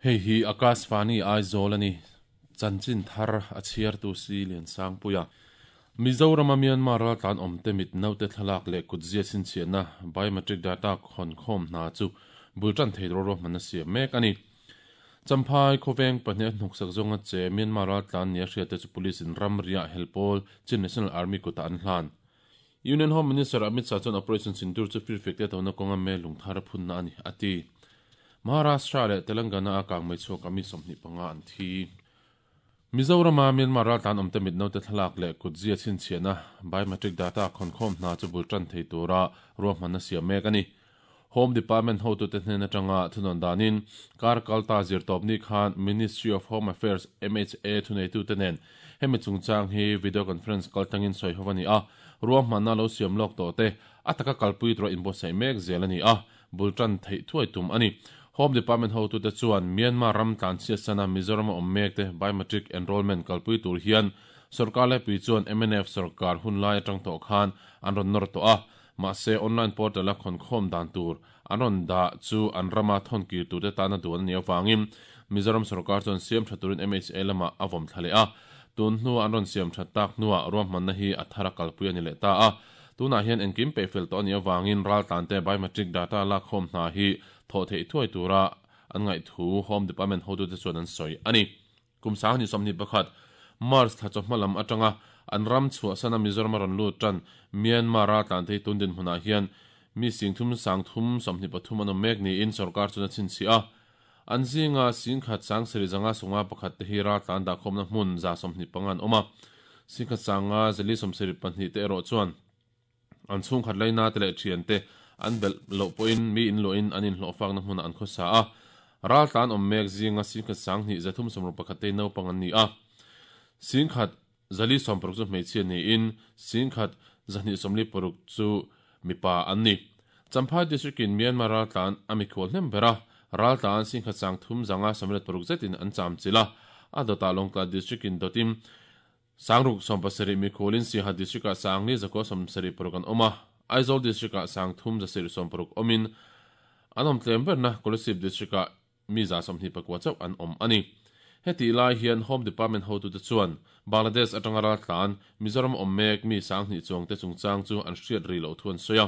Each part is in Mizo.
Hei hi Akashvani Aizawl a ni. Chanchin thar a chhiartu si Liansangpuia. Mizorama Myanmar raltlan awmte mit naute thlalak leh kutzia chhinchhiahna biometric data khawn khawm hna chu bul tan thei ro ruahmanna siam mek a ni. Champhai khawveng pahnih a hnawksak zawnga che Myanmar raltlan nia hriatte chu police in ramriah helpawl Chin National Army kutah an hlan. Union Home Minister Amit Shah chuan Operation Sindoor chu firfiak te tona kawnga mel lungthar a phunna a ni, a ti. Maharashtra leh Telangana a kang mai chhuak a mi 25 an thi. Mizorama Myanmar raltlan awmte mit naute thlalak leh kutzia chhinchhiahna biometric data khawnkhawm hna chu bul tan thei tura ruahmanna siam mek a ni. Home Department hotute hnen atanga thunawn danin kar kalta zirtawpni khan Ministry of Home Affairs, MHA, thuneitute nen hemi chungchang hi video conference kaltlangin sawi ho a ni a, ruahmanna lo siam lawk tawh te a taka kalpui tura inbuatsaih mek zel a ni a, bul tan theih thuai tum a ni. Home Department hotute chuan Myanmar ram tlanchhiat sana Mizoram a awm mek te biometric enrolment kalpui tur hian sorkar laipui chuan mnf sorkar hunlai atang tawh khan an rawn nawr tawh a, Mahse, online portal-a khawnkhawm dan tur an rawn dah chu an rama thawn kir turte tana duan a nih avangin Mizoram sorkar chuan siam tha turin MHA lamah a vawm thla leh a. Tun hnua an rawn siam that tak hnuah ruahmanna hi a thar a kalpui a ni leh ta a. Tunah hian engkim peihfel tawh a nih avangin raltlante biometric data lakkhawm hna hi thawh theih thuai tura an ngaih thu Home Department hotute chuan an sawi a ni. Kum 2021, March thla chawhma lam atanga an ram chhuahsana Mizoram a rawn lut tan Myanmar raltlante hi tun dinhmunah hian mi singthum 323 an awm mek niin sorkar chuan a chhinchhiah a. An zinga singkhat sangsarih zanga sawmnga pakhat te hi raltlan dahkhawmna hmun 125 an awm a, singkhat sanga zali 72 te erawh chuan an chhungkhat laina te leh thian te an belh loh pawhin mi inluahin an inhlawhfakna hmunah an khawsa a. Raltlan awm mek zinga singkhat 2361 te hi naupang an ni a. Singkhat 460 chu hmeichhia niin singkhat 246 chu mipa an ni. Champhai District in Myanmar raltlan a mikhual hnem ber a, raltlan singkhat 356 zetin an chamchilh a, a dawtah Lawngtlai District in dawtin 670 mikhualin Siaha District-ah 4,976 an awm a, Aizawl District-ah 3,160 awmin an awm tlem berna Kolasib District-ah mi 29 chauh an awm a ni. Hetih lai hian Home Department hotute chuan Bangladesh atanga raltlan Mizoram awm mek mi 2000 chuangte chungchang chu an hriat rih loh thu an sawi a.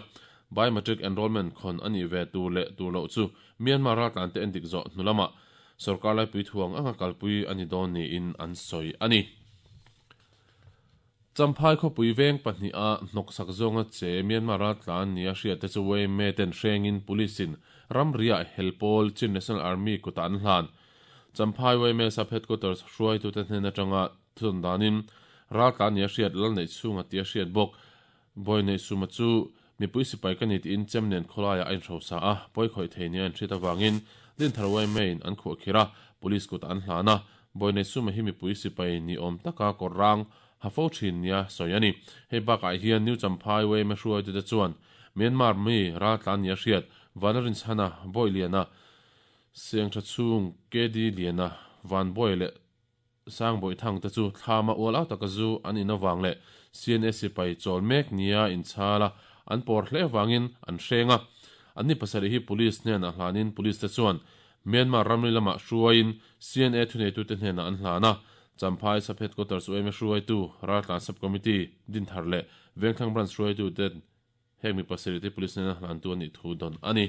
Biometric enrolment khawn a nih ve tur leh tur loh chu Myanmar raltlante endik zawh hnu lamah Sorkar laipui thuang anga kalpui a ni dawn niin an sawi a ni. Champhai khawpui veng pahniha hnawksak zawnga che Myanmar raltlan nia hriatte chu yma ten hrengin Police in ramriah helpawl Chin National Army kutah an hlan. Champhai yma Sub Headquarters hruaitute hnen atanga thudawn danin raltlan nia hriat lal neih chhunga tia hriat bawk Bawi neih suma chu mipui sipai ka ni tiin chem nen khawlaiah a inhrosa a, pawi khawih thei nia an hriat avangin Dinthar yma in an khuah khir a, police kutah an hlan a. Bawi neih suma hi mipui sipai ni awm taka kawr rang ha fo thin nia sawi a ni. Hei bakah hian New Champhai yma hruaitute chuan Myanmar mi raltlan nia hriat Vanlarinchhana, Bawi Liana, Sengtha chhung KD Liana, Vanbawi leh Sangbawih thang te chu thlama ual au taka zu an in avang leh CNA sipai chawl mek nia inchhal a, an pawr hle avangin an hreng a. Anni pasarih hi Police hnenah hlanin Police te chuan Myanmar ramri lamah hruaiin CNA thuneitute hnenah an hlan a. Champhai Sub Headquarters yma hruaitu Raltlan Sub Committee Dinthar leh Vengthlang Branch hruaituten Heng mi pasarih te police hnena hlantu a nih thu dawn a ni.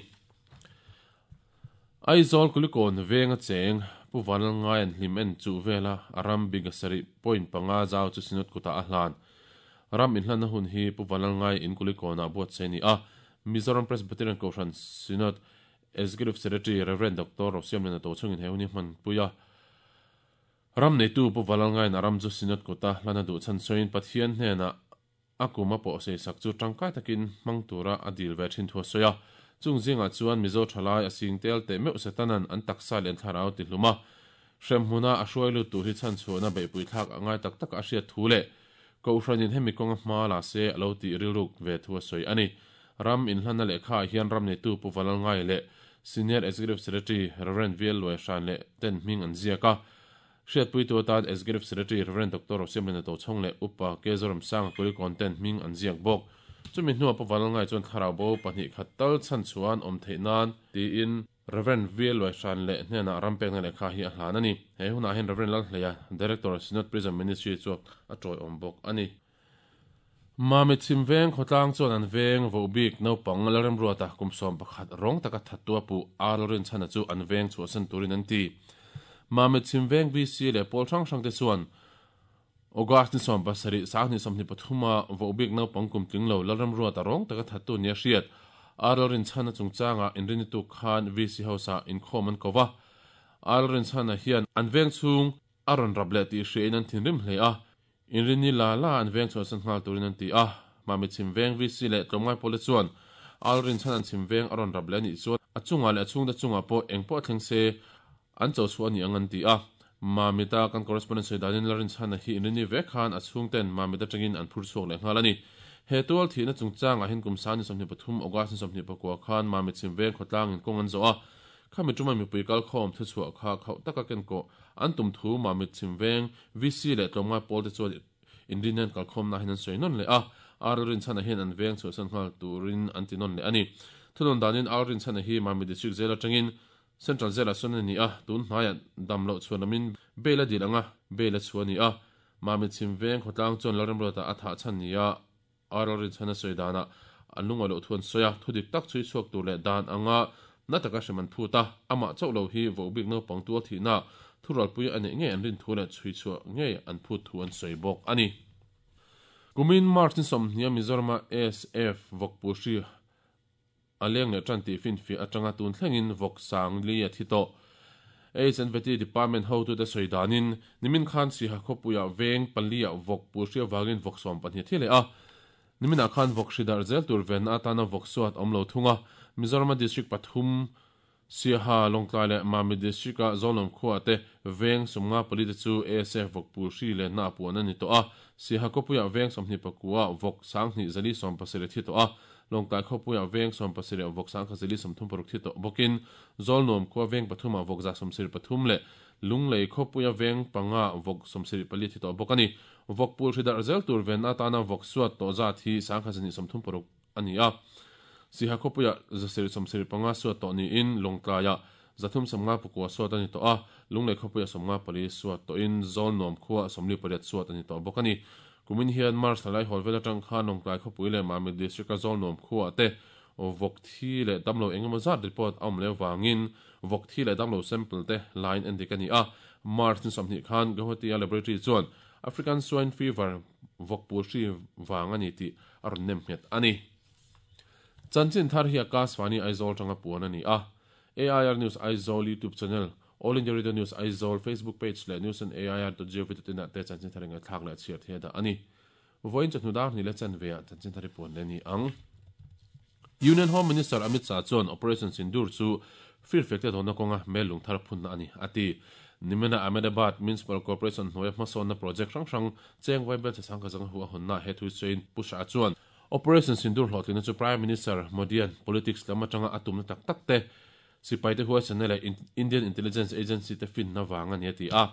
Aizawl Kulikawn venga cheng Pu Vanlalngaia'n hlim en chuh vela a ram big sarih point panga zau chu Synod kutah a hlan. Ram inhlanna hun hi Pu Vanlalngai in Kulikawnah buatsaih a ni a, Mizoram Presbyterian Kohhran Synod Executive Secretary Rev. Doctor Rosiamliana Tochhungin he hun hi hmanpui a. Ram neitu Pu Vanlalngaia'n a ram chu Synod kuta hlan a duh chhan sawiin Pathian hnenah A kum a pawh seisak chu tangkai takin hmang tura a dil ve thin thu a sawi a. Chung zingah chuan Mizo thalai a sing tel teh meuh Setanan an taksa leh an thlarau ti hlum a, hremhmuna a hruai lut tur hi chhanchhuahna beihpui thlak a ngai tak taka a hriat thu leh Kohhranin hemi kawnga hma la se a lo tih rilruk ve thu a sawi a ni. Ram inhlanna lehkhaah hian ram neitu Pu Valalngai leh Senior Executive Secretary Rev. VL Luaihran leh ten hming an ziak a. Hriatpuitu atan Executive Secretary Rev. Doctor Rosiamliana Tochhawng leh Upa K. Zoramsanga Kulikawn ten hming an ziak bawk. Chumi hnuah Pu Vanlalngai chuan thlarau bo pahnih khat tal chhan chhuah an awm theih nan tiin. Rev. VL Luaihran leh hnenah ram pekna lehkha hi a hlan a ni. He hunah hian Rev. Lalhleia, Director, Synod Prison Ministry chu a tawiawm bawk a ni. Mami chhim veng khawtlang chuan an veng voh bik naupang Lalremruata kum 11 rawng taka thattua puh a Lalrinchhana chu an veng chhuahsan turin an ti. Mami chhim veng VC leh pawl hrang hrangte chuan August ni 17, 2023 a voh bik naupang kum tling lo Lalremruata rawng taka thattu nia hriat a Lalrinchhana chungchanga inrinni tuk khan VC House-ah inkhawm an ko va. A Lalrinchhana hian an veng chhung a rawn rap leh tih hriain an thinrim hle a. Inrinni la la an veng chhuahsan nghal turin an ti a, Mami chhim veng VC leh tlawmngai pawlte chuan Alrin chhan an chhim veng a rawn rap leh a nih chuan a chungah leh a chhungte chungah pawh eng pawh thleng se an cho chhuah a ni ang an ti a. Mamita kan correspondent sawi danin Lalrinchhana hi inrinni vek khan a chhungten Mamit atangin an phur chhuak leh nghal a ni. He tual thihna chungchangah hian kum 23 August ni 24 khan Mamit chhim veng khawtlangin kawng an zawh a, Khami ṭuma mipui kalkhawm thuchhuah kha khauh taka kenkawh an tum thu Mamit chhim veng VC leh tlawmngai pawl te chuan inrinna an kalkhawmna hian an sawi nawn leh a, Ar Rinchhana hian an veng chhuahsan nghal turin an ti nawn leh a ni. Thunawn danin Ar Rinchhana hi Mamit District Jail atangin Central Jail-ah sawn a ni a, tun hnaiah dam loh chhuan lamin bail a dil anga bail a chhuah a ni a, Mamit chhim veng khawtlang chuan Lalremruata a thah chhan nia A ralrinchhan a sawi danah an lungawi loh thu an sawi a, thu dik tak chhui chhuak tur leh dan anga na taka hrem an phut a, amah chauh lo hi vohbik naupang tual thihna thuralpui a neih ngei an rin thu leh chhui chhuah ngei an phut thu an sawi bawk a ni. Kumin March ni 20 a Mizorama ASF vawkpu hri A leng leh tan tih finfiah atanga tun thlengin vawk sang li a thi tawh. HNVT Department hotute sawi danin, nimin khan Siha khawpuiah veng paliah vawk pu hri avangin vawk 12 a thi leh a. Niminah khan vawk hri darh zel tur venna atana vawk suat awm lo thung a. Mizorama District pathum Siaha, Lawngtlai leh Mami District-a Zawlnawm khuaah te veng 54 te chu ASF vawk pul hri lenna a puan a ni tawh a. Siaha khawpuiah veng 24 ah vawk 2470 a thi tawh a. Lawngtlai khawpuiah veng 17 ah vawk 1436 thi tawh bawkin Zawlnuam khua veng pathum ah vawk 173 leh Lunglei khawpuia veng panga ah vawk 74 thi tawh bawk a ni. Vawk pul hri darh zel tur venna atana vawk suat tawh zat hi 1236 a ni a. Siha khawpuiah 775 suat tawh niin Lawngtlaiah 359 suat a ni tawh a, Lunglei khawpuiah 54 suat tawhin Zawlnuam khuaah 48 suat a ni tawh bawk a ni. Kumin hian March thla laihawl vel atang khan Lawngtlai khawpui leh Mamit District-a Zawlnuam khuaah te vawk thi leh damlo engemaw zat report a awm leh avangin vawk thi leh damlo sample te lain endik a ni a. March ni 20 khan Guwahati-a laboratory chuan African Swine Fever vawk pul hri vang a ni tih a rawn nem nghet a ni. Chanchin thar hi Akashvani Aizawl tanga puan a ni a. AIR News Aizawl YouTube channel, All India Radio News Aizawl Facebook page leh news on air dot gov dot in ah te chanchin thar ingaithlak leh chhiar thei a dah a ni. Vawiin chawhnu dar hnih leh chanve ah chanchin thar hi puan leh a ni ang. Union Home Minister Amit Shah chuan Operation Sindoor chu firfek te dawnna kawnga mel lung thar phunna a ni, a ti. Nimina Ahmedabad Municipal Corporation hnuaia hmasawnna project hrang hrang cheng vaibel che changka zanga hu a hawnna he thu sawiin Pu Shah chuan Operation Sindoor hlawhtlinna chu Prime Minister Modi-a'n politics lam atanga a tumna tak tak te, sipaite huaisanna leh Indian Intelligence Agency te finna vang a ni a ti a.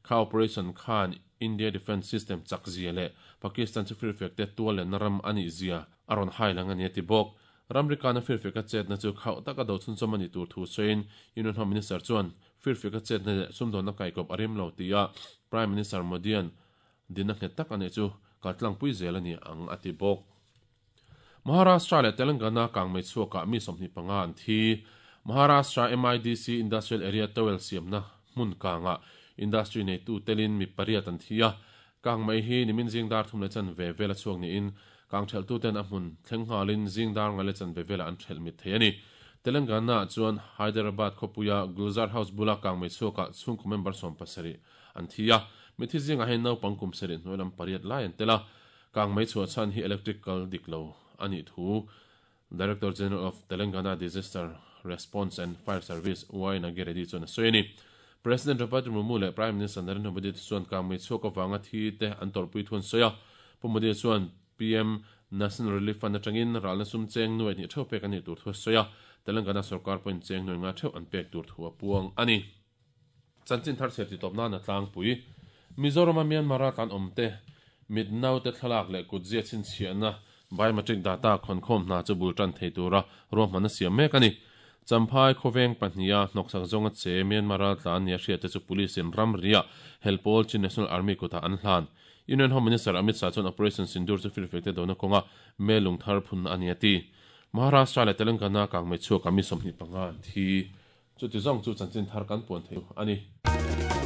Kha operation khan India Defence System chak zia leh Pakistan chu firfek te tual lenna ram a nih zia a rawn hai lang a ni a ti bawk. Ramrikana firfeka chetna chu khauh taka do chhunchawm a nih tur thu sawiin Union Home Minister chuan firfeka chetna leh sumdawnna kaikawp a rem lo tia Prime Minister Modi-a'n dinna nghet tak a neih chu kaltlangpui zel a ni ang a ti bawk. Maharashtra leh Telangana kangmei chhuakah mi 25 an thi. Maharashtra MIDC Industrial Area towel siamna hmun kangah industry neitu telin mi pariat an thi a. Kangmei hi nimin zing dar thum leh chanve vela chhuak niin kang thelhtuten a hmun thleng nghalin zing dar ngai leh chanve velah an thelh mit thei a ni. Telangana-ah chuan Hyderabad khawpuia Gulzar House bula kangmei chhuakah chhungkaw member 17 an thi a. Mithi zingah hian naupang kum sarih hnuai lam pariat lai an tel a. Kangmei chhuah chhan hi electric kal dik lo a nih thu Director General of Telangana Disaster Response and Fire Service Y Nagi Reddy chuan a sawi a ni. President Draupadi Murmu leh Prime Minister Narendra Modi te chuan kangmei chhuak avanga thi te an tawrhpui thu an sawi a. Pu Modi chuan PM National Relief Fund atangin ralna sum cheng nuai hnih theuh pek a nih tur thu a sawi a. Telangana sorkar pawhin cheng nuai nga theuh an pek tur thu a puang a ni. Chanchin thar chhiar titawp nana tlangpui. Mizorama Myanmar a tlan awmte mit naute thlalak leh kutzia chhinchhiahna biometric data khawnkhawm hna chu bul tan thei tura ruahmanna siam mek a ni. Champhai khawveng pahniha hnawksak zawnga che Myanmar raltlan nia hriatte chu police-in ramriah hel pawl Chin National Army kutah an hlan. Union Home Minister Amit Shah chuan Operation Sindoor chu firfekte dona kawnga mellung thar phunna a ni a ti. Maharashtra leh Telangana kangmei chhuakah mi 25 an thi. Chuti zawng chu chanchin thar kan puan thei a ni.